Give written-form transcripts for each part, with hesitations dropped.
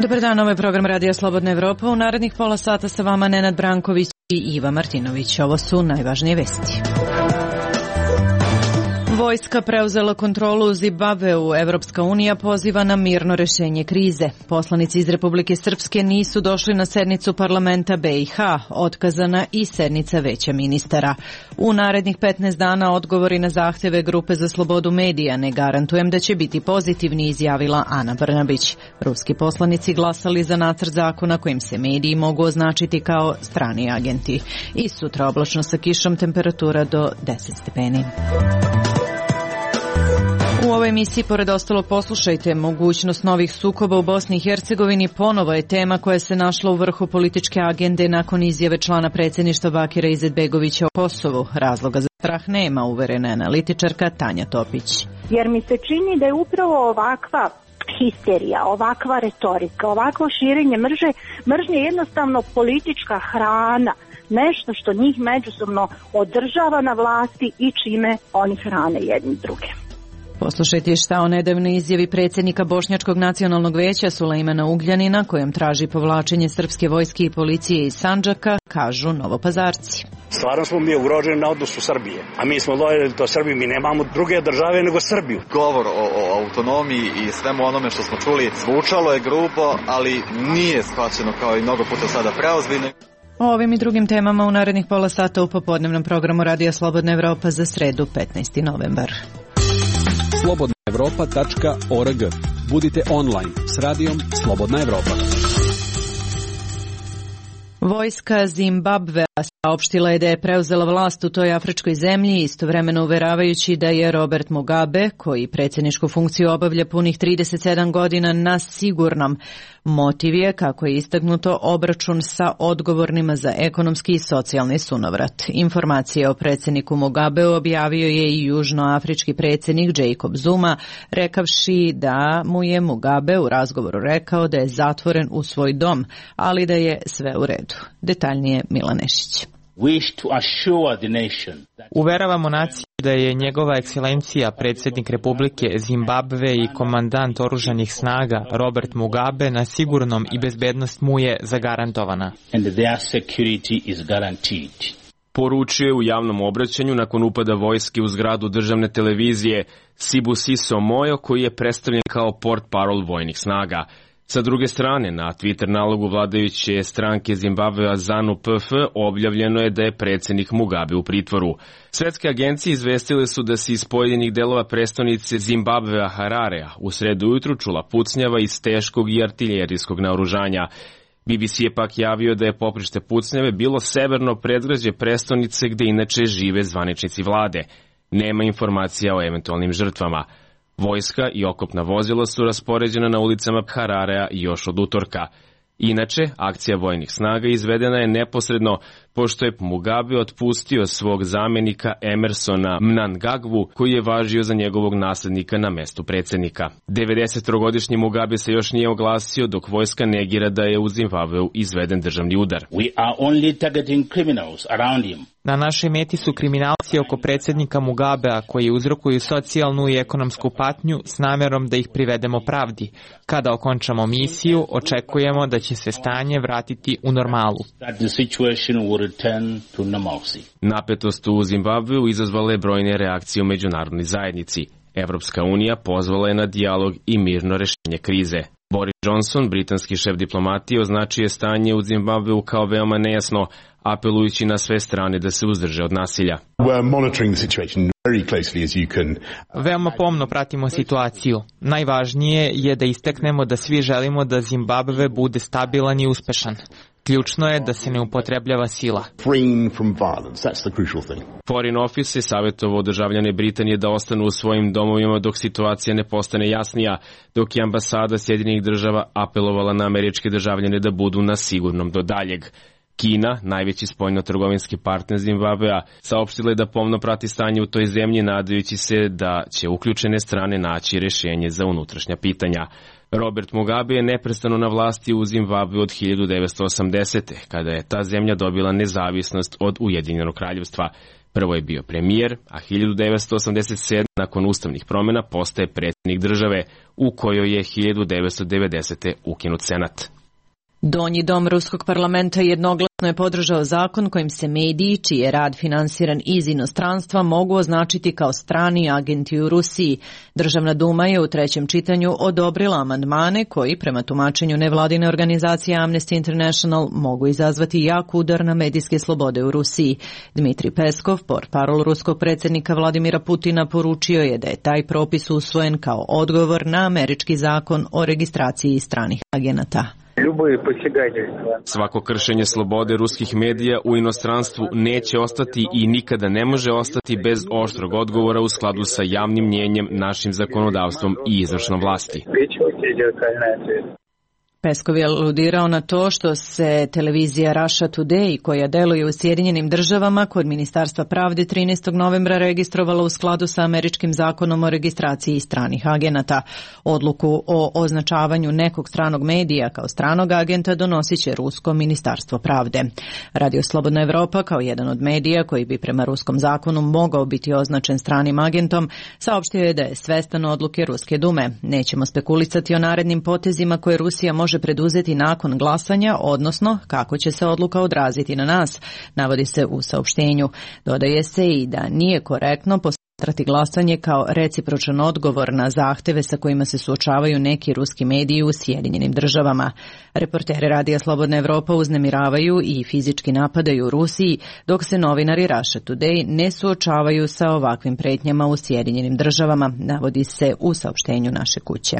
Dobar dan, ovo je program Radija Slobodna Evropa. U narednih pola sata sa vama Nenad Branković i Iva Martinović. Ovo su najvažnije vesti. Vojska preuzela kontrolu u Zimbabveu. Evropska unija poziva na mirno rešenje krize. Poslanici iz Republike Srpske nisu došli na sednicu parlamenta BiH. Otkazana i sednica veća ministara. U narednih 15 dana odgovori na zahteve Grupe za slobodu medija. Ne garantujem da će biti pozitivni, izjavila Ana Brnabić. Ruski poslanici glasali za nacrt zakona kojim se mediji mogu označiti kao strani agenti. I sutra oblačno sa kišom, temperatura do 10 stepeni. U ovoj emisiji, pored ostalo, poslušajte, mogućnost novih sukoba u Bosni i Hercegovini ponovo je tema koja se našla u vrhu političke agende nakon izjave člana predsjedništva Bakira Izetbegovića o Kosovu. Razloga za strah nema, uverena je analitičarka Tanja Topić. Jer mi se čini da je upravo ovakva histerija, ovakva retorika, ovakvo širenje mržnje jednostavno politička hrana, nešto što njih međusobno održava na vlasti i čime oni hrane jedni druge. Poslušajte šta o nedavnoj izjavi predsjednika Bošnjačkog nacionalnog veća Sulejmana Ugljanina, kojom traži povlačenje srpske vojske i policije iz Sandžaka, kažu Novopazarci. Stvarno smo mi ugroženi na odnosu Srbije, a mi smo lojali to Srbiji, mi nemamo druge države nego Srbiju. Govor o autonomiji i svemu onome što smo čuli zvučalo je grubo, ali nije shvaćeno kao i mnogo puta sada preozbiljno. O ovim i drugim temama u narednih pola sata u popodnevnom programu Radija Slobodna Evropa za sredu 15. novembar. slobodnaevropa.org. Budite online s radijom Slobodna Evropa. Vojska Zimbabvea saopštila je da je preuzela vlast u toj afričkoj zemlji, istovremeno uveravajući da je Robert Mugabe, koji predsjedničku funkciju obavlja punih 37 godina, na sigurnom. Motiv je, kako je istaknuto, obračun sa odgovornima za ekonomski i socijalni sunovrat. Informacije o predsjedniku Mugabeu objavio je i južnoafrički predsjednik Jacob Zuma, rekavši da mu je Mugabe u razgovoru rekao da je zatvoren u svoj dom, ali da je sve u redu. Detaljnije Milan Nešić. Uveravamo naciju da je njegova ekscelencija predsjednik Republike Zimbabve i komandant oružanih snaga Robert Mugabe na sigurnom i bezbednost mu je zagarantovana. Poručio je u javnom obraćanju nakon upada vojske u zgradu državne televizije Sibusiso Moyo, koji je predstavljen kao portparol vojnih snaga. Sa druge strane, na Twitter nalogu vladajuće stranke Zimbabvea ZANU-PF objavljeno je da je predsjednik Mugabe u pritvoru. Svetske agencije izvestile su da se iz pojedinih delova prestonice Zimbabvea Hararea u sredu ujutru čula pucnjava iz teškog i artiljerijskog naoružanja. BBC je pak javio da je poprište pucnjave bilo severno predgrađe prestonice gde inače žive zvaničnici vlade. Nema informacija o eventualnim žrtvama. Vojska i okopna vozila su raspoređena na ulicama Hararea još od utorka. Inače, akcija vojnih snaga izvedena je neposredno pošto je Mugabe otpustio svog zamjenika Emersona Mnangagwu, koji je važio za njegovog naslednika na mestu predsjednika. 93-godišnji Mugabe se još nije oglasio dok vojska negira da je u Zimbabveu izveden državni udar. Na našoj meti su kriminalci oko predsjednika Mugabea koji uzrokuju socijalnu i ekonomsku patnju s namjerom da ih privedemo pravdi. Kada okončamo misiju, očekujemo da će se stanje vratiti u normalu. Napetost u Zimbabveu izazvala je brojne reakcije u međunarodnoj zajednici. Evropska unija pozvala je na dijalog i mirno rešenje krize. Boris Johnson, britanski šef diplomatije, označio je stanje u Zimbabveu kao veoma nejasno, apelujući na sve strane da se uzdrže od nasilja. Veoma pomno pratimo situaciju. Najvažnije je da istaknemo da svi želimo da Zimbabve bude stabilan i uspešan. Ključno je da se ne upotrebljava sila. Foreign Office je savjetovao državljane Britanije da ostanu u svojim domovima dok situacija ne postane jasnija, dok je ambasada Sjedinjenih država apelovala na američke državljane da budu na sigurnom do daljeg. Kina, najveći spoljno-trgovinski partner Zimbabvea, saopštila je da pomno prati stanje u toj zemlji, nadajući se da će uključene strane naći rješenje za unutrašnja pitanja. Robert Mugabe je neprestano na vlasti u Zimbabveu od 1980. kada je ta zemlja dobila nezavisnost od Ujedinjenog kraljevstva. Prvo je bio premijer, a 1987. nakon ustavnih promjena postaje predsjednik države, u kojoj je 1990. ukinut senat. Donji dom Ruskog parlamenta jednoglasno je podržao zakon kojim se mediji, čiji je rad finansiran iz inostranstva, mogu označiti kao strani agenti u Rusiji. Državna duma je u trećem čitanju odobrila amandmane koji, prema tumačenju nevladine organizacije Amnesty International, mogu izazvati jak udar na medijske slobode u Rusiji. Dmitrij Peskov, portparol ruskog predsjednika Vladimira Putina, poručio je da je taj propis usvojen kao odgovor na američki zakon o registraciji stranih agenata. Svako kršenje slobode ruskih medija u inostranstvu neće ostati i nikada ne može ostati bez oštrog odgovora u skladu sa javnim mnjenjem, našim zakonodavstvom i izvršnom vlasti. Peskov je aludirao na to što se televizija Russia Today, koja deluje u Sjedinjenim državama, kod Ministarstva pravde 13. novembra registrovala u skladu sa američkim zakonom o registraciji stranih agenata. Odluku o označavanju nekog stranog medija kao stranog agenta donosit će Rusko ministarstvo pravde. Radio Slobodna Evropa, kao jedan od medija koji bi prema ruskom zakonu mogao biti označen stranim agentom, saopštio je da je svestan odluke Ruske dume. Nećemo spekulisati o narednim potezima koje Rusija može preduzeti nakon glasanja, odnosno kako će se odluka odraziti na nas, navodi se u saopštenju. Dodaje se i da nije korektno posmatrati glasanje kao recipročan odgovor na zahteve sa kojima se suočavaju neki ruski mediji u Sjedinjenim državama. Reporteri Radija Slobodna Evropa uznemiravaju i fizički napadaju u Rusiji, dok se novinari Russia Today ne suočavaju sa ovakvim pretnjama u Sjedinjenim državama, navodi se u saopštenju naše kuće.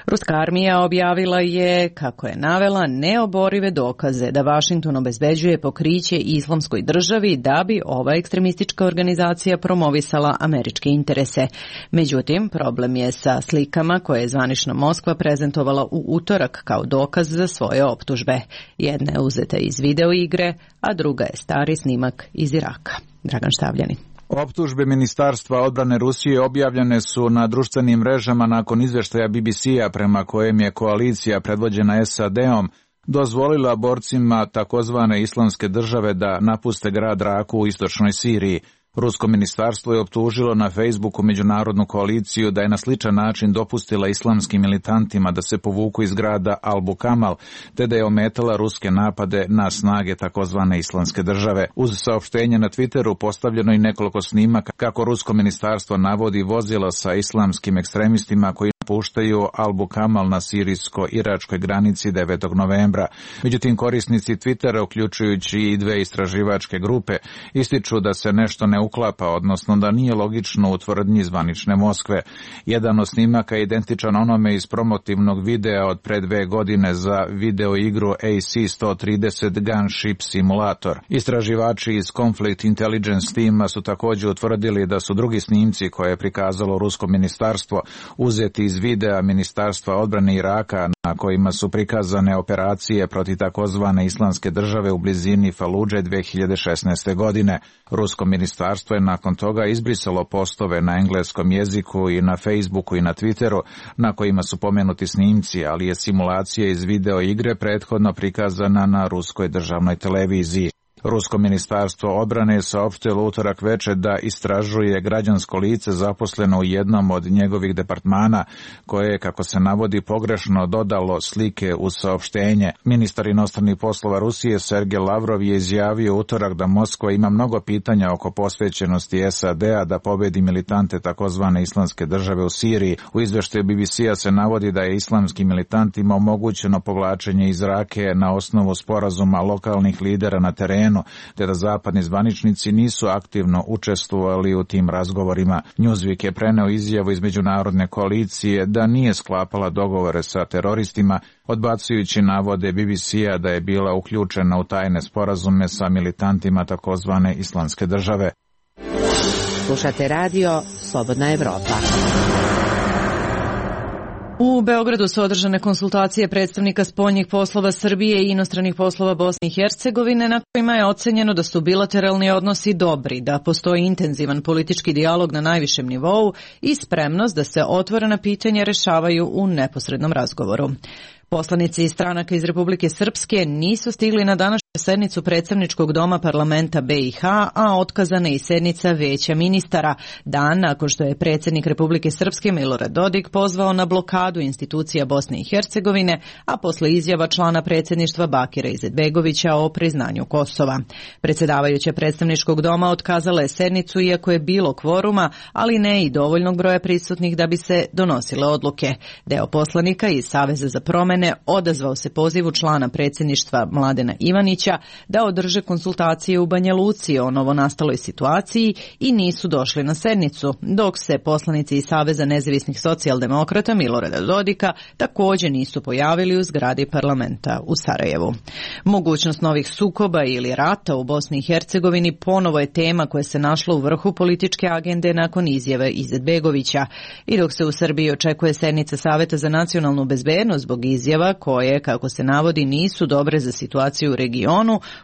Ruska armija objavila je, kako je navela, neoborive dokaze da Vašington obezbeđuje pokriće Islamskoj državi da bi ova ekstremistička organizacija promovisala američke interese. Međutim, problem je sa slikama koje je zvanična Moskva prezentovala u utorak kao dokaz za svoje optužbe. Jedna je uzeta iz video igre, a druga je stari snimak iz Iraka. Dragan Štavljanin. Optužbe Ministarstva odbrane Rusije objavljene su na društvenim mrežama nakon izvještaja BBC-a prema kojem je koalicija predvođena SAD-om dozvolila borcima takozvane Islamske države da napuste grad Raku u istočnoj Siriji. Rusko ministarstvo je optužilo na Facebooku međunarodnu koaliciju da je na sličan način dopustila islamskim militantima da se povuku iz grada Al-Bukamal, te da je ometala ruske napade na snage takozvane Islamske države. Uz saopštenje na Twitteru postavljeno i nekoliko snimaka kako rusko ministarstvo navodi vozila sa islamskim ekstremistima koji napuštaju Al-Bukamal na sirijsko-iračkoj granici 9. novembra. Međutim, korisnici Twittera, uključujući i dve istraživačke grupe, ističu da se nešto ne uklapa, odnosno da nije logično u tvrdnji zvanične Moskve. Jedan od snimaka je identičan onome iz promotivnog videa od pre 2 godine za video igru AC-130 Gunship Simulator. Istraživači iz Conflict Intelligence tima su također utvrdili da su drugi snimci koje je prikazalo rusko ministarstvo uzeti iz videa Ministarstva odbrane Iraka na kojima su prikazane operacije protiv takozvane Islamske države u blizini Faludže 2016. godine. Rusko ministarstvo je nakon toga izbrisalo postove na engleskom jeziku i na Facebooku i na Twitteru na kojima su pomenuti snimci, ali je simulacija iz video igre prethodno prikazana na ruskoj državnoj televiziji. Rusko ministarstvo odbrane je saopštilo utorak večer da istražuje građansko lice zaposleno u jednom od njegovih departmana koje je, kako se navodi, pogrešno dodalo slike uz saopštenje. Ministar inostranih poslova Rusije Sergej Lavrov je izjavio utorak da Moskva ima mnogo pitanja oko posvećenosti SAD-a da pobedi militante takozvane Islamske države u Siriji. U izvještaju BBC-a se navodi da je islamskim militantima omogućeno povlačenje iz Rake na osnovu sporazuma lokalnih lidera na terenu, te da zapadni zvaničnici nisu aktivno učestvovali u tim razgovorima. Newsweek je preneo izjavu iz međunarodne koalicije da nije sklapala dogovore sa teroristima, odbacujući navode BBC-a da je bila uključena u tajne sporazume sa militantima takozvane Islamske države. Slušate radio Slobodna Evropa. U Beogradu su održane konsultacije predstavnika spoljnih poslova Srbije i inostranih poslova Bosne i Hercegovine, na kojima je ocenjeno da su bilateralni odnosi dobri, da postoji intenzivan politički dijalog na najvišem nivou i spremnost da se otvorena pitanja rešavaju u neposrednom razgovoru. Poslanici stranaka iz Republike Srpske nisu stigli na današnju sednicu predstavničkog doma parlamenta BiH, a otkazana je i sednica veća ministara, dan nakon što je predsjednik Republike Srpske Milorad Dodik pozvao na blokadu institucija Bosne i Hercegovine, a posle izjava člana predsjedništva Bakira Izetbegovića o priznanju Kosova. Predsjedavajuća predstavničkog doma otkazala je sednicu iako je bilo kvoruma, ali ne i dovoljnog broja prisutnih da bi se donosile odluke. Deo poslanika iz Saveza za promene odazvao se pozivu člana predsjedništva Mladena Ivanića da održe konsultacije u Banja Luci o novonastaloj situaciji i nisu došli na sednicu, dok se poslanici iz Saveza nezavisnih socijaldemokrata Milorada Dodika također nisu pojavili u zgradi parlamenta u Sarajevu. Mogućnost novih sukoba ili rata u Bosni i Hercegovini ponovo je tema koja se našla u vrhu političke agende nakon izjave Izetbegovića. I dok se u Srbiji očekuje sednica Saveta za nacionalnu bezbednost zbog izjava koje, kako se navodi, nisu dobre za situaciju u regionu,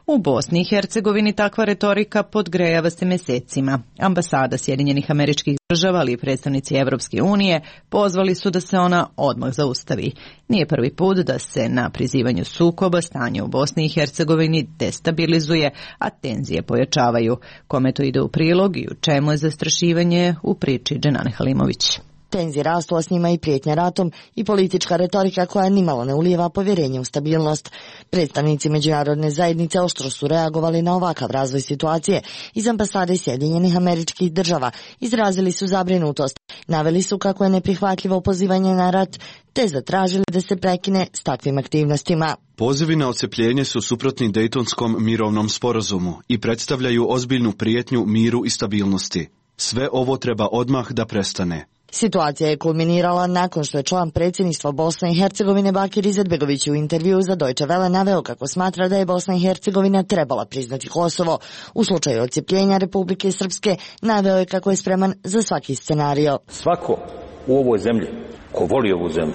u Bosni i Hercegovini takva retorika podgrejava se mesecima. Ambasada Sjedinjenih Američkih Država, ali i predstavnici Evropske unije pozvali su da se ona odmah zaustavi. Nije prvi put da se na prizivanju sukoba stanje u Bosni i Hercegovini destabilizuje, a tenzije pojačavaju. Kome to ide u prilog i u čemu je zastrašivanje u priči Dženane Halimović. Tenzije rastu, a s njima i prijetnja ratom i politička retorika koja nimalo ne ulijeva povjerenje u stabilnost. Predstavnici međunarodne zajednice oštro su reagovali na ovakav razvoj situacije. Iz ambasade Sjedinjenih Američkih Država izrazili su zabrinutost. Naveli su kako je neprihvatljivo pozivanje na rat, te zatražili da se prekine s takvim aktivnostima. Pozivi na odcepljenje su suprotni Dejtonskom mirovnom sporazumu i predstavljaju ozbiljnu prijetnju miru i stabilnosti. Sve ovo treba odmah da prestane. Situacija je kulminirala nakon što je član predsjedništva Bosne i Hercegovine Bakir Izetbegović u intervjuu za Deutsche Welle naveo kako smatra da je Bosna i Hercegovina trebala priznati Kosovo. U slučaju odcepljenja Republike Srpske naveo je kako je spreman za svaki scenario. Svako u ovoj zemlji ko voli ovu zemlju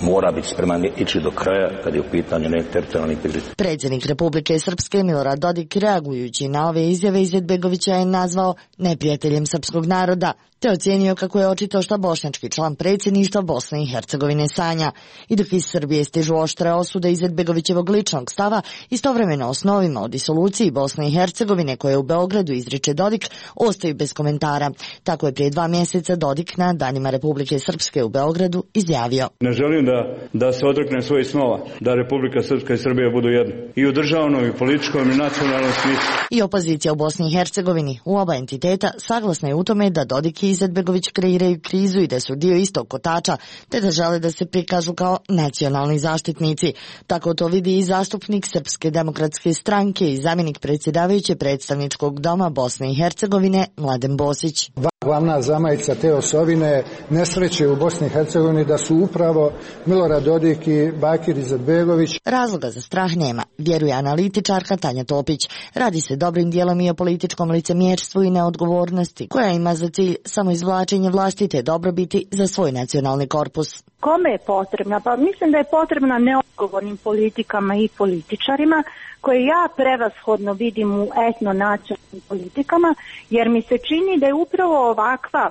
mora biti spreman ići do kraja kad je u pitanju teritorijalni integritet. Predsjednik Republike Srpske Milorad Dodik, reagujući na ove izjave Izetbegovića, je nazvao neprijateljem srpskog naroda, te ocijenio kako je očito što bošnjački član predsjedništva Bosne i Hercegovine sanja. I dok iz Srbije stižu oštre osude Izetbegovićevog ličnog stava, istovremeno osnovima o disoluciji Bosne i Hercegovine koje u Beogradu izriče Dodik ostaju bez komentara. Tako je prije 2 mjeseca Dodik na Danima Republike Srpske u Beogradu izjavio: Ne želim da se odreknem svojih snova, da Republika Srpska i Srbija budu jedno. I u državnom, i političkom, i nacionalnom smislu. I opozicija u Bosni i Hercegovini u oba entiteta saglasna je u tome da Dodik i Izetbegović kreiraju krizu i da su dio istog kotača, te da žele da se prikažu kao nacionalni zaštitnici. Tako to vidi i zastupnik Srpske demokratske stranke i zamjenik predsjedavajuće predstavničkog doma Bosne i Hercegovine Mladen Bosić. Glavna zamajca te osovine nesreće u Bosni i Hercegovini da su upravo Milorad Dodik i Bakir Izetbegović. Razloga za strah nema, vjeruje analitičarka Tanja Topić. Radi se dobrim dijelom i o političkom licemjerstvu i neodgovornosti, koja ima za cilj samo izvlačenje vlastite dobrobiti za svoj nacionalni korpus. Kome je potrebna? Pa mislim da je potrebna neodgovornim politikama i političarima, koje ja prevashodno vidim u etno-nacionalnim politikama, jer mi se čini da je upravo ovakva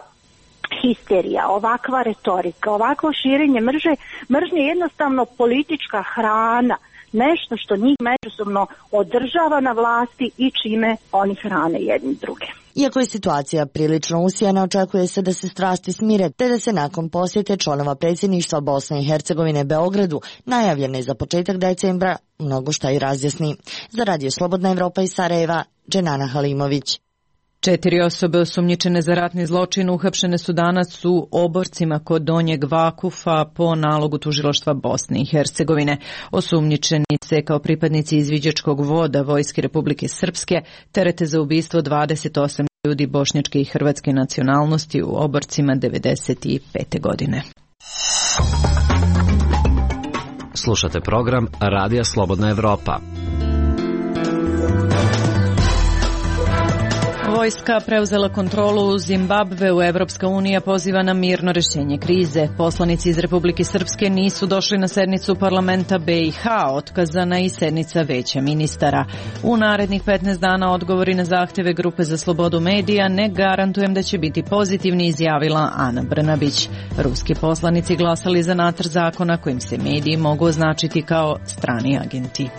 histerija, ovakva retorika, ovakvo širenje mržnje jednostavno politička hrana, nešto što njih međusobno održava na vlasti i čime oni hrane jedni druge. Iako je situacija prilično usijana, očekuje se da se strasti smire, te da se nakon posjete članova predsjedništva Bosne i Hercegovine Beogradu, najavljene za početak decembra, mnogo šta i razjasni. Za Radio Slobodna Evropa iz Sarajeva, Dženana Halimović. 4 osobe osumnjičene za ratni zločin uhapšene su danas u Oborcima kod Donjeg Vakufa po nalogu tužilaštva Bosne i Hercegovine. Osumnjičeni se kao pripadnici izviđačkog voda Vojske Republike Srpske terete za ubistvo 28 ljudi bošnjačke i hrvatske nacionalnosti u Oborcima 1995. godine. Slušate program Radija Slobodna Evropa. Vojska preuzela kontrolu u Zimbabveu, Evropska unija poziva na mirno rješenje krize. Poslanici iz Republike Srpske nisu došli na sednicu parlamenta BiH, otkazana i sednica veća ministara. U narednih 15 dana odgovori na zahtjeve Grupe za slobodu medija ne garantujem da će biti pozitivni, izjavila Ana Brnabić. Ruski poslanici glasali za nacrt zakona kojim se mediji mogu označiti kao strani agenti.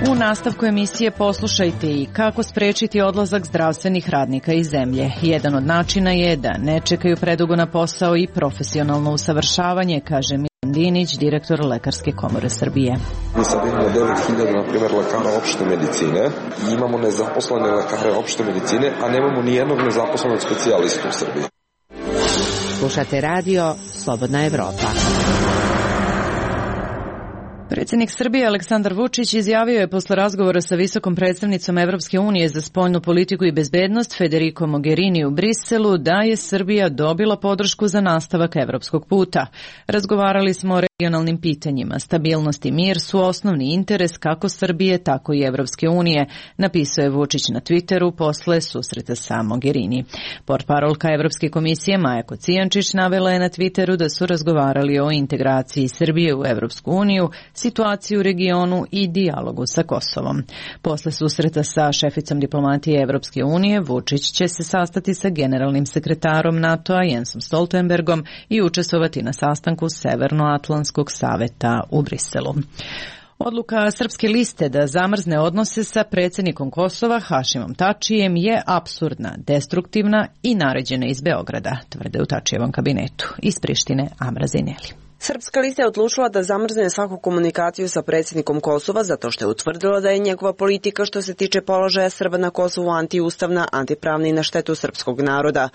U nastavku emisije poslušajte i kako sprečiti odlazak zdravstvenih radnika iz zemlje. Jedan od načina je da ne čekaju predugo na posao i profesionalno usavršavanje, kaže Milan Dinić, direktor Lekarske komore Srbije. Mi sad imamo 9000, na primjer, lekara opšte medicine i imamo nezaposlene lekare opšte medicine, a nemamo ni jednog nezaposlenog specijalistu u Srbiji. Slušate radio Slobodna Evropa. Predsjednik Srbije Aleksandar Vučić izjavio je posle razgovora sa visokom predstavnicom Evropske unije za spoljnu politiku i bezbednost Federico Mogherini u Briselu da je Srbija dobila podršku za nastavak evropskog puta. Razgovarali smo o regionalnim pitanjima. Stabilnost i mir su osnovni interes kako Srbije, tako i Evropske unije, napisao je Vučić na Twitteru posle susreta sa Mogherini. Portparolka Evropske komisije Maja Kocijančić navela je na Twitteru da su razgovarali o integraciji Srbije u Evropsku uniju, situaciju u regionu i dijalogu sa Kosovom. Posle susreta sa šeficom diplomatije Evropske unije, Vučić će se sastati sa generalnim sekretarom NATO-a Jensom Stoltenbergom i učestvovati na sastanku Severnoatlantskog saveta u Briselu. Odluka Srpske liste da zamrzne odnose sa predsjednikom Kosova Hašimom Tačijem je apsurdna, destruktivna i naređena iz Beograda, tvrde u Tačijevom kabinetu. Iz Prištine Amra Zineli. Srpska lista je odlučila da zamrzne svaku komunikaciju sa predsjednikom Kosova zato što je utvrdila da je njegova politika što se tiče položaja Srba na Kosovu antiustavna, antipravna i na štetu srpskog naroda.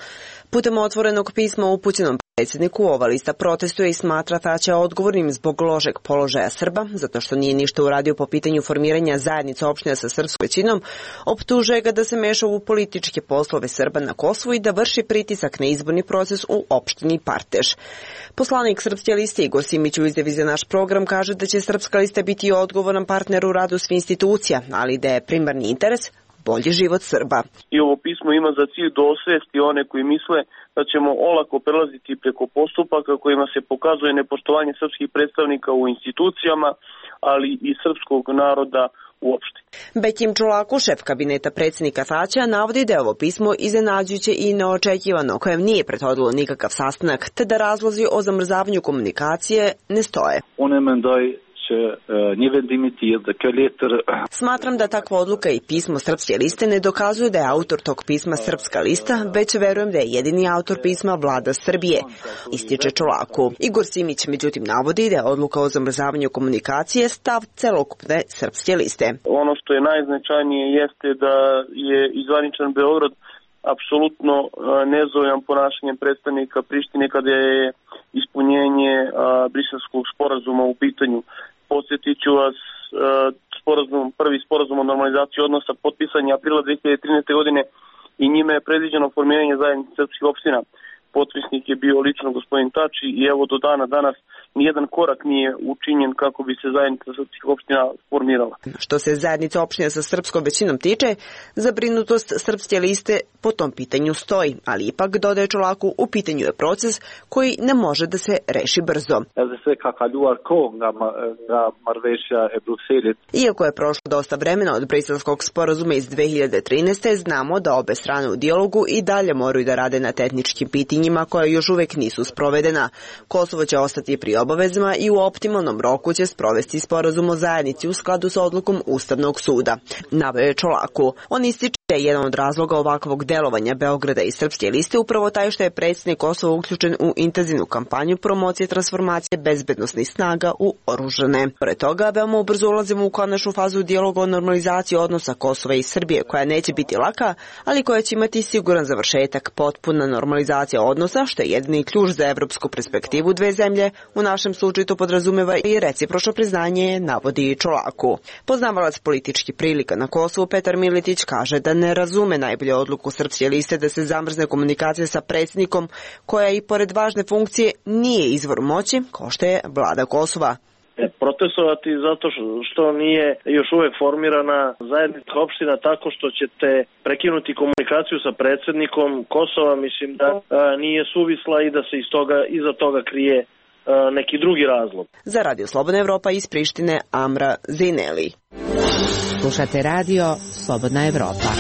Putem otvorenog pisma upućenom predsjedniku ova lista protestuje i smatra Tačija odgovornim zbog lošeg položaja Srba, zato što nije ništa uradio po pitanju formiranja zajednica opština sa srpskom većinom, optužuje ga da se meša u političke poslove Srba na Kosovu i da vrši pritisak na izborni proces u opštini Parteš. Poslanik Srpske liste Igor Simić u izjavi za naš program kaže da će Srpska lista biti odgovoran partner u radu svih institucija, ali da je primarni interes bolji život Srba. I ovo pismo ima za cilj da osvesti one koji misle da ćemo olako prelaziti preko postupaka kojima se pokazuje nepoštovanje srpskih predstavnika u institucijama, ali i srpskog naroda uopšte. Bekim Čolaku, šef kabineta predsjednika Tačija, navodi da je ovo pismo iznenađujuće i neočekivano, kojem nije prethodilo nikakav sastanak, te da razlozi o zamrzavanju komunikacije ne stoje. Smatram da takva odluka i pismo Srpske liste ne dokazuju da je autor tog pisma Srpska lista, već verujem da je jedini autor pisma Vlada Srbije, ističe Čolaku. Igor Simić međutim navodi da je odluka o zamrzavanju komunikacije stav celokupne Srpske liste. Ono što je najznačajnije jeste da je izvaničan Beograd apsolutno nezadovoljan ponašanjem predstavnika Prištine kada je ispunjenje Briselskog sporazuma u pitanju. Podsjetit ću vas, prvi sporazum o normalizaciji odnosa potpisan je aprila 2013. godine i njime je predviđeno formiranje zajednice srpskih opština. Potpisnik je bio lično gospodin Tači i evo do dana danas nijedan korak nije učinjen kako bi se zajednica srpskih opština formirala. Što se zajednica opština sa srpskom većinom tiče, zabrinutost Srpske liste po tom pitanju stoji, ali ipak, dodaje Čolaku, u pitanju je proces koji ne može da se reši brzo. Iako je prošlo dosta vremena od Briselskog sporazuma iz 2013. znamo da obe strane u dijalogu i dalje moraju da rade na tehničkim pitanjima koja još uvek nisu sprovedena. Kosovo će ostati pri obavezama i u optimalnom roku će sprovesti sporazum o zajednici u skladu sa odlukom Ustavnog suda, naveo je Čolaku. On ističe da je jedan od razloga ovakvog delovanja Beograda i Srpske liste upravo taj što je predsjednik Kosova uključen u intenzivnu kampanju promocije transformacije bezbednosnih snaga u oružane. Pored toga, veoma ubrzo ulazimo u konačnu fazu dijaloga o normalizaciji odnosa Kosova i Srbije, koja neće biti laka, ali koja će imati siguran završetak, potpuna normalizacija odnosa, što je jedini ključ za evropsku perspektivu dve zemlje. U našem slučaju to podrazumeva i recipročno priznanje, navodi Čolaku. Poznavalac političkih prilika na Kosovu Petar Miletić kaže da ne razume najbolje odluku Srpske liste da se zamrzne komunikacija sa predsjednikom, koja i pored važne funkcije nije izvor moći, kao što je vlada Kosova. Protestovati zato što nije još uvek formirana zajednica opština tako što ćete prekinuti komunikaciju sa predsjednikom Kosova, mislim da nije suvisla i da se iza toga krije neki drugi razlog. Za Radio Slobodna Evropa iz Prištine, Amra Zineli. Slušate radio Slobodna Evropa.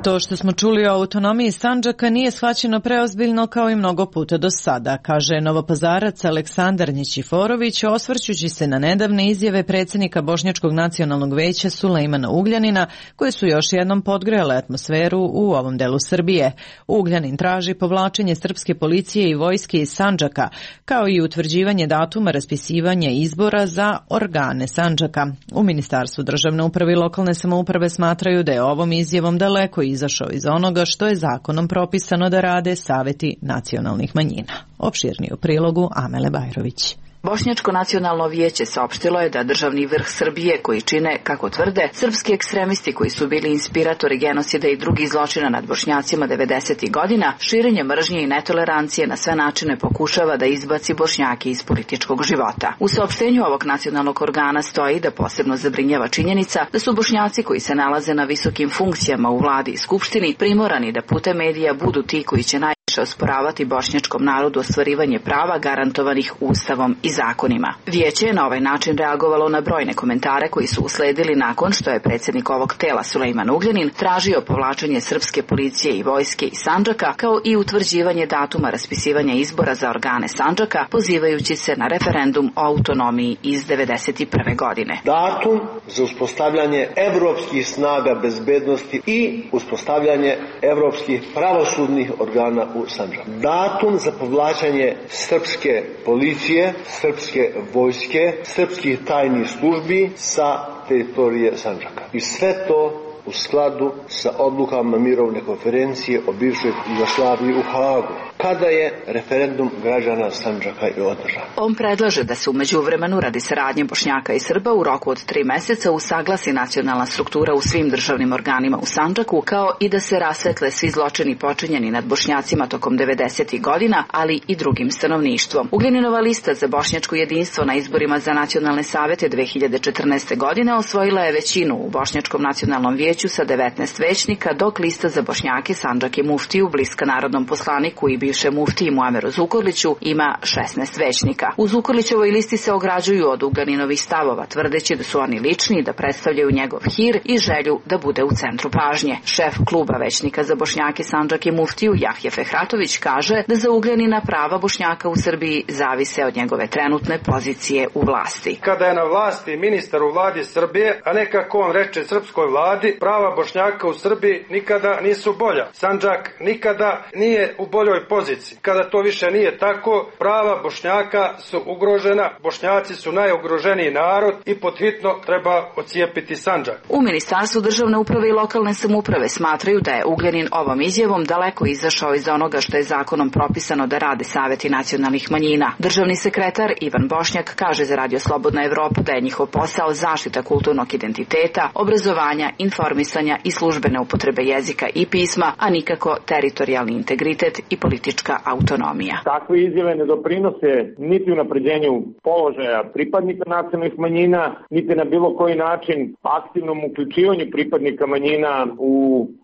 To što smo čuli o autonomiji Sandžaka nije shvaćeno preozbiljno kao i mnogo puta do sada, kaže novopazarac Aleksandar Nićiforović, osvrćući se na nedavne izjave predsjednika Bošnjačkog nacionalnog veća Sulejmana Ugljanina, koje su još jednom podgrejale atmosferu u ovom delu Srbije. Ugljanin traži povlačenje srpske policije i vojske iz Sandžaka, kao i utvrđivanje datuma raspisivanja izbora za organe Sandžaka. U Ministarstvu državne uprave i lokalne samouprave smatraju da je ovom izjavom daleko izašao iz onoga što je zakonom propisano da rade saveti nacionalnih manjina. Opširniji u prilogu Amele Bajrović. Bošnjačko nacionalno vijeće saopštilo je da državni vrh Srbije, koji čine, kako tvrde, srpski ekstremisti koji su bili inspiratori genocida i drugih zločina nad Bošnjacima 90. godina, širenje mržnje i netolerancije na sve načine pokušava da izbaci Bošnjake iz političkog života. U saopštenju ovog nacionalnog organa stoji da posebno zabrinjava činjenica da su Bošnjaci koji se nalaze na visokim funkcijama u vladi i skupštini primorani da putem medija budu ti koji će osporavati bošnjačkom narodu ostvarivanje prava garantovanih ustavom i zakonima. Vijeće je na ovaj način reagovalo na brojne komentare koji su usledili nakon što je predsjednik ovog tela Sulejman Ugljanin tražio povlačenje srpske policije i vojske iz Sandžaka, kao i utvrđivanje datuma raspisivanja izbora za organe Sandžaka, pozivajući se na referendum o autonomiji iz 1991. godine. Datum za uspostavljanje evropskih snaga bezbednosti i uspostavljanje evropskih pravosudnih organa u Sandžaku. Datum za povlačenje srpske policije, srpske vojske, srpskih tajnih službi sa teritorije Sandžaka. I sve to u skladu sa odlukama mirovne konferencije o bivšoj Jugoslaviji u Hagu, kada je referendum građana Sandžaka i održan. On predlaže da se u međuvremenu radi saradnje Bošnjaka i Srba u roku od 3 meseca usaglasi nacionalna struktura u svim državnim organima u Sandžaku, kao i da se rasvetle svi zločini počinjeni nad Bošnjacima tokom 90. godina, ali i drugim stanovništvom. Ugljaninova lista za bošnjačko jedinstvo na izborima za nacionalne savete 2014. godine osvojila je većinu u Bošnjačkom nacionalnom vijeću sa 19 većnika, dok lista za Bošnjake, Sandžak i Muftiju, bliska narodnom poslaniku i bivšem muftiji Muameru Zukorliću, ima 16 većnika. U Zukorlićevoj listi se ograđuju od Ugljaниnovih stavova, tvrdeći da su oni lični, da predstavljaju njegov hir i želju da bude u centru pažnje. Šef kluba većnika za Bošnjake, Sandžak i Muftiju, Jahje Fehratović, kaže da za Ugljanina prava Bošnjaka u Srbiji zavise od njegove trenutne pozicije u vlasti. Kada je na vlasti ministar u vladi Srbije, a ne kako on reče srpskoj vladi, prava Bošnjaka u Srbiji nikada nisu bolja. Sandžak nikada nije u boljoj poziciji. Kada to više nije tako, prava Bošnjaka su ugrožena, Bošnjaci su najugroženiji narod i podhitno treba ocijepiti Sandžak. U Ministarstvu državne uprave i lokalne samouprave smatraju da je Ugljanin ovom izjavom daleko izašao iz onoga što je zakonom propisano da rade saveti nacionalnih manjina. Državni sekretar Ivan Bošnjak kaže za Radio Slobodna Evropa da je njihov posao zaštita kulturnog identiteta, obrazovanja, informisanja i službene upotrebe jezika i pisma, a nikako teritorijalni integritet i politička autonomija. Takve izjave ne doprinose niti unapređenju položaja pripadnika nacionalnih manjina, niti na bilo koji način aktivnom uključivanju pripadnika manjina u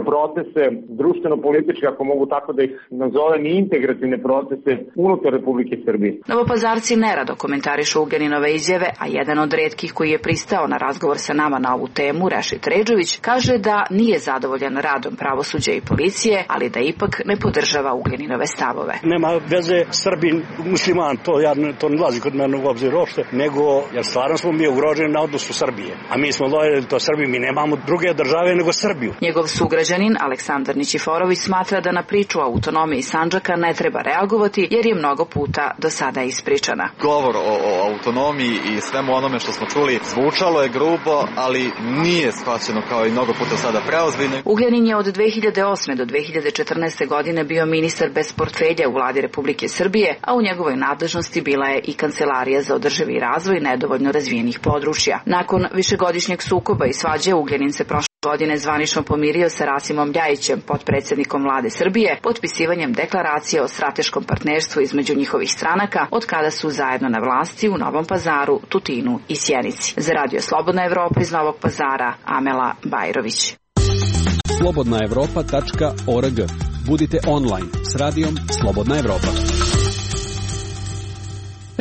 procese društveno-političke, ako mogu tako da ih nazovem, i integrativne procese unutar Republike Srbije. Novopazarci nerado komentarišu Ugljaninove izjave, a jedan od retkih koji je pristao na razgovor sa nama na ovu temu, Rešit Redžović, kaže da nije zadovoljan radom pravosuđa i policije, ali da ipak ne podržava Ugljaninove stavove. Nema veze Srbin, musliman, to ne lazi kod mene u obzir uopšte, nego jer stvarno smo mi ugroženi na odnosu Srbije. A mi smo lojali to Srbiji, mi nemamo druge države nego Srbiju. Njegov sugrađanin Aleksandar Nićiforović smatra da na priču o autonomiji Sandžaka ne treba reagovati jer je mnogo puta do sada ispričana. Govor o autonomiji i svemu onome što smo čuli zvučalo je grubo, ali nije shvaćeno kao i mnogo puta sada preozbiljno. Ugljanin je od 2008. do 2014. godine bio ministar bez portfelja u vladi Republike Srbije, a u njegovoj nadležnosti bila je i Kancelarija za održivi razvoj nedovoljno razvijenih područja. Nakon višegodišnjeg sukoba i svađe, Ugljanin se prošle godine zvanično pomirio sa Rasimom Ljajićem, potpredsjednikom vlade Srbije, potpisivanjem deklaracije o strateškom partnerstvu između njihovih stranaka, od kada su zajedno na vlasti u Novom Pazaru, Tutinu i Sjenici. Za Radio Slobodna Evropa iz Novog Pazara, Amela Bajrović. slobodnaevropa.org. Budite online s radijom Slobodna Evropa.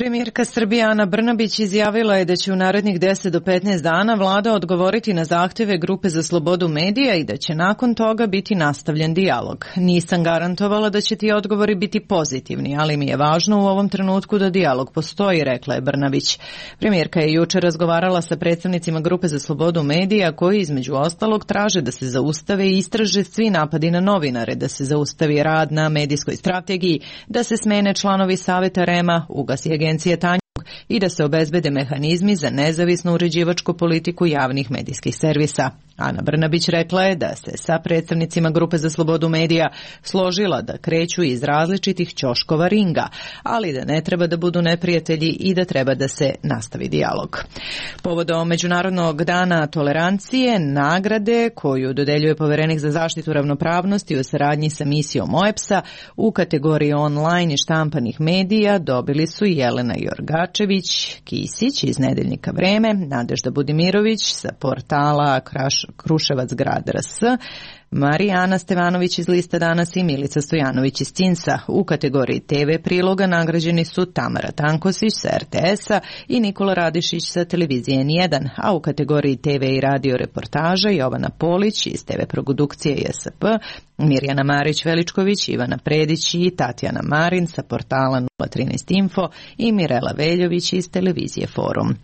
Premijerka Srbije Ana Brnabić izjavila je da će u narednih 10 do 15 dana vlada odgovoriti na zahteve Grupe za slobodu medija i da će nakon toga biti nastavljen dijalog. Nisam garantovala da će ti odgovori biti pozitivni, ali mi je važno u ovom trenutku da dijalog postoji, rekla je Brnabić. Premijerka je jučer razgovarala sa predstavnicima Grupe za slobodu medija koji između ostalog traže da se zaustave i istraže svi napadi na novinare, da se zaustavi rad na medijskoj strategiji, da se smene članovi Saveta REM-a, ugasi agencije Tanjug i da se obezbede mehanizmi za nezavisnu uređivačku politiku javnih medijskih servisa. Ana Brnabić rekla je da se sa predstavnicima Grupe za slobodu medija složila da kreću iz različitih ćoškova ringa, ali da ne treba da budu neprijatelji i da treba da se nastavi dijalog. Povodom Međunarodnog dana tolerancije, nagrade koju dodeljuje Poverenik za zaštitu ravnopravnosti u saradnji sa misijom OEBS-a u kategoriji online i štampanih medija dobili su Jelena Jorgačević Kisić iz nedeljnika Vreme, Nadežda Budimirović sa portala Kruševac grad RS, Marijana Stevanović iz Lista Danas i Milica Stojanović iz Cinsa. U kategoriji TV priloga nagrađeni su Tamara Tankosić sa RTS-a i Nikola Radišić sa televizije N1, a u kategoriji TV i radio reportaža Jovana Polić iz TV produkcije JSP, Mirjana Marić-Veličković, Ivana Predić i Tatjana Marin sa portala 013 Info i Mirela Veljović iz televizije Forum.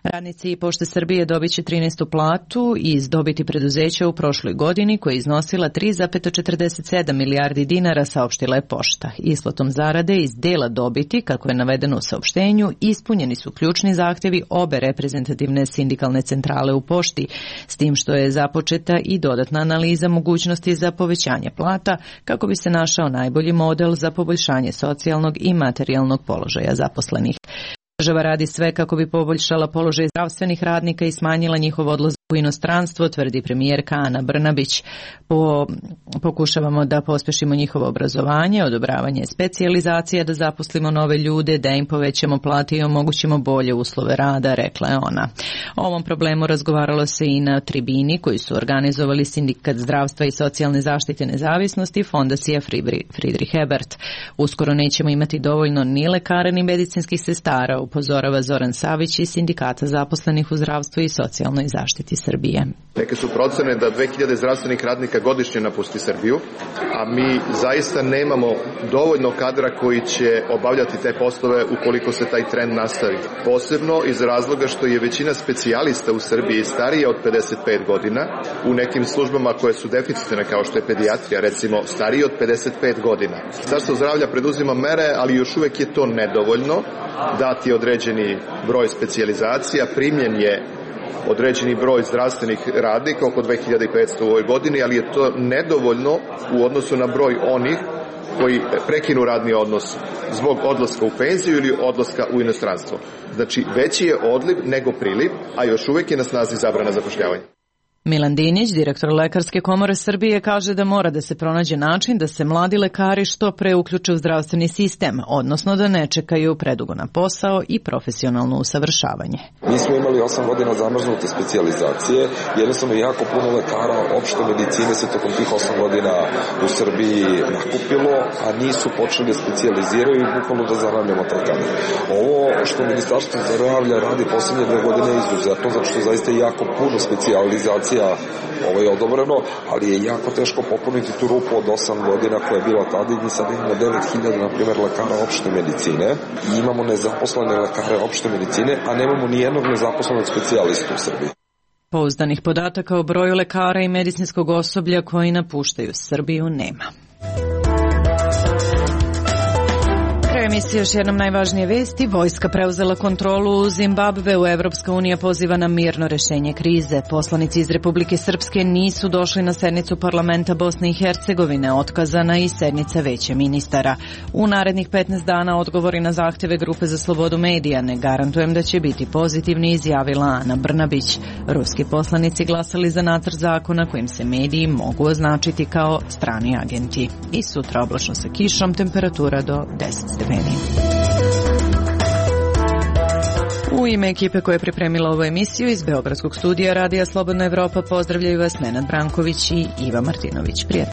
Radnici Pošte Srbije dobit će 13. platu iz dobiti preduzeća u prošloj godini koja je iznosila 3,47 milijardi dinara, saopštila je Pošta. Isplatom zarade iz dela dobiti, kako je navedeno u saopštenju, ispunjeni su ključni zahtjevi obe reprezentativne sindikalne centrale u Pošti, s tim što je započeta i dodatna analiza mogućnosti za povećanje plata kako bi se našao najbolji model za poboljšanje socijalnog i materijalnog položaja zaposlenih. Država radi sve kako bi poboljšala položaj zdravstvenih radnika i smanjila njihov odlazak u inostranstvo, tvrdi premijerka Ana Brnabić. Pokušavamo da pospešimo njihovo obrazovanje, odobravanje specijalizacija, da zaposlimo nove ljude, da im povećamo plate i omogućimo bolje uslove rada, rekla je ona. O ovom problemu razgovaralo se i na tribini koju su organizovali Sindikat zdravstva i socijalne zaštite nezavisnosti i Fondacija Friedrich Ebert. Uskoro nećemo imati dovoljno ni lekara ni medicinskih sestara, upozorava Zoran Savić iz Sindikata zaposlenih u zdravstvu i socijalnoj zaštiti Srbije. Neke su procene da 2000 zdravstvenih radnika godišnje napusti Srbiju, a mi zaista nemamo dovoljno kadra koji će obavljati te poslove ukoliko se taj trend nastavi. Posebno iz razloga što je većina specijalista u Srbiji starije od 55 godina, u nekim službama koje su deficitne kao što je pedijatrija, recimo starije od 55 godina. Ministarstvo zdravlja preduzima mere, ali još uvek je to nedovoljno, dati određeni broj specijalizacija, primljen je određeni broj zdravstvenih radnika, oko 2500 u ovoj godini, ali je to nedovoljno u odnosu na broj onih koji prekinu radni odnos zbog odlaska u penziju ili odlaska u inostranstvo. Znači, veći je odliv nego priliv, a još uvijek je na snazi zabrana zapošljavanja. Milan Dinić, direktor Lekarske komore Srbije, kaže da mora da se pronađe način da se mladi lekari što pre uključe u zdravstveni sistem, odnosno da ne čekaju predugo na posao i profesionalno usavršavanje. Mi smo imali 8 godina zamrznute specijalizacije, jednostavno jako puno lekara opšte medicine se tokom tih 8 godina u Srbiji nakupilo, a nisu počeli da specijaliziraju i bukvalno da zaravljamo taj kamen. Ovo što Ministarstvo zdravlja radi poslednje 2 godine je izuzetno, zato što zaista je jako puno specijalizacija ovo je odobreno, ali je jako teško popuniti tu rupu od 8 godina koja je bila tada i mi sad imamo 9000, na primjer, lekara opšte medicine i imamo nezaposlene lekare opšte medicine, a nemamo ni jednog nezaposlenog specijalistu u Srbiji. Pouzdanih podataka o broju lekara i medicinskog osoblja koji napuštaju Srbiju nema. Emisija još jednom najvažnije vesti. Vojska preuzela kontrolu u Zimbabveu. Evropska unija poziva na mirno rešenje krize. Poslanici iz Republike Srpske nisu došli na sednicu parlamenta Bosne i Hercegovine. Otkazana i sednica veća ministara. U narednih 15 dana odgovori na zahteve Grupe za slobodu medija. Ne garantujem da će biti pozitivni, izjavila Ana Brnabić. Ruski poslanici glasali za nacrt zakona kojim se mediji mogu označiti kao strani agenti. I sutra oblačno sa kišom, temperatura do 10 stepeni. U ime ekipe koja je pripremila ovu emisiju iz Beogradskog studija Radija Slobodna Evropa pozdravljaju vas Nenad Branković i Iva Martinović. Prijatno.